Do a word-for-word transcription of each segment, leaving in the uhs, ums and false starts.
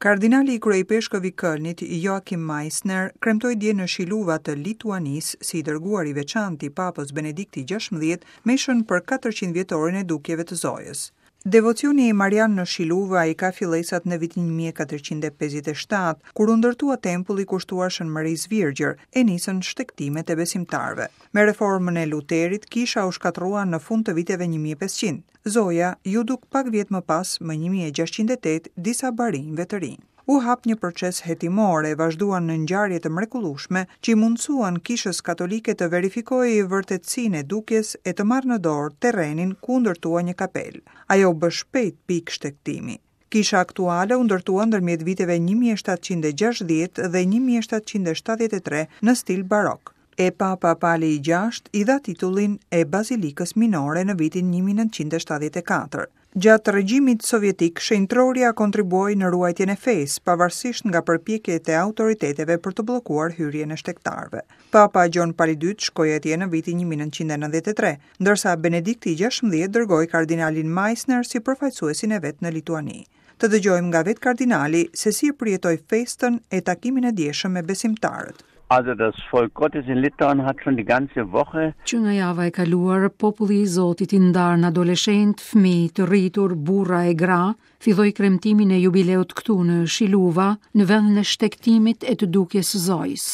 Kardinali i kryeipeshkëv i Kölnit, Joachim Meisner, kremtoi dje në Šiluva të Lituanisë si i dërguar i veçantë i Papës Benedikti gjashtëmbëdhjetë meshën për katërqind vjetorin e dukjeve të Zojës. Devocioni i Marian në Šiluva i ka fillesat në vitin një mijë e katërqind e pesëdhjetë e shtatë, kur u ndërtua tempulli kushtuar Shën Marisë Virgjër e nisën shtegtimet e besimtarëve. Me reformën e Luterit, kisha u shkatërrua në fund të viteve një mijë e pesëqind. Zoja ju duk pak vjet më pas, më një mijë e gjashtëqind e tetë, disa barinjve të rinj. U hap një proces hetimor e vazhduan në ngjarje të mrekullueshme që i mundësuan kishës katolike të verifikojë vërtetësinë e dukjes e të marrë në dorë terrenin ku ndërtua një kapel. Ajo u bë shpejt pikë shtegtimi. Kisha aktuale u ndërtua ndërmjet viteve një mijë e shtatëqind e gjashtëdhjetë dhe një mijë e shtatëqind e shtatëdhjetë e tre në stil barok. E Papa Pali i gjashtë i dha titullin e Bazilikës Minore në vitin një mijë e nëntëqind e shtatëdhjetë e katër. Gjatë regjimit sovjetik, shenjtroria kontribuoi në ruajtjen e fesë, pavarësisht nga përpjekjet e autoriteteve për të bllokuar hyrjen e shtegtarëve. Papa Gjon Pali i dytë shkoi atje në vitin një mijë e nëntëqind e nëntëdhjetë e tre, ndërsa Benedikti i gjashtëmbëdhjetë dërgoi kardinalin Meisner si përfaqësuesin e vet në Lituani. Të dëgjojmë nga vetë kardinali se si e përjetoi festën e takimin e djeshëm me besimtarët. Also das Volk Gottes in Litauen hat schon die ganze Woche Që nga java e kaluar, populli i Zotit i ndarë në adoleshent, fëmijë, të rritur, burra e gra, filloi kremtimin e jubileut këtu në Šiluva, në vendin e shtegtimit e të dukjes së Zojës.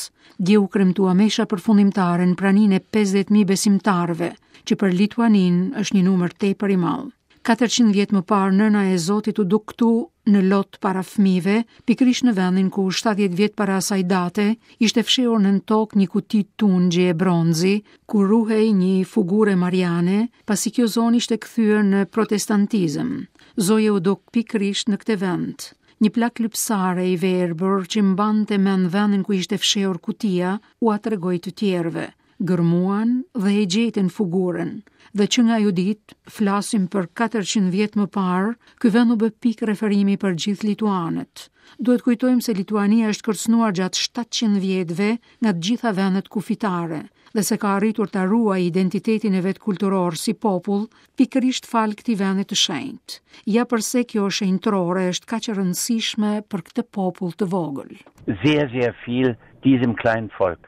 Dje u kremtua mesha përfundimtare në praninë e pesëdhjetë mijë besimtarëve, që për Lituaninë është një numër tepër i madh. Katërqind vjet më parë nëna e Zotit u duk këtu në lot para fëmijëve, pikërisht në vendin ku shtatëdhjetë vjet para asaj date ishte fshehur nën tokë një kuti tungji e bronzi, ku ruhej një figurë mariane, pasi kjo zonë ishte kthyer në protestantizëm. Zoja u duk pikërisht në këtë vend. Një plak lypsare i verbër që mbante mend vendin ku ishte fshehur kutia, ua tregoi të tjerëve. Gërmuan dhe e gjetën figurën. Dhe që nga ajo ditë, flasim për katërqind vjet më parë, ky vend u bë pikë referimi për gjithë lituanët. Duhet kujtojmë se Lituania është kërcënuar gjatë shtatëqind vjetëve nga të gjitha vendet kufitare dhe se ka arritur ta ruajë identitetin e vet kulturor si popull, pikërisht fal këtij vendi të shenjtë. Ja përse kjo shenjtrore është kaq e rëndësishme për këtë popull të vogël. Sehr, sehr viel diesem kleinen Volk.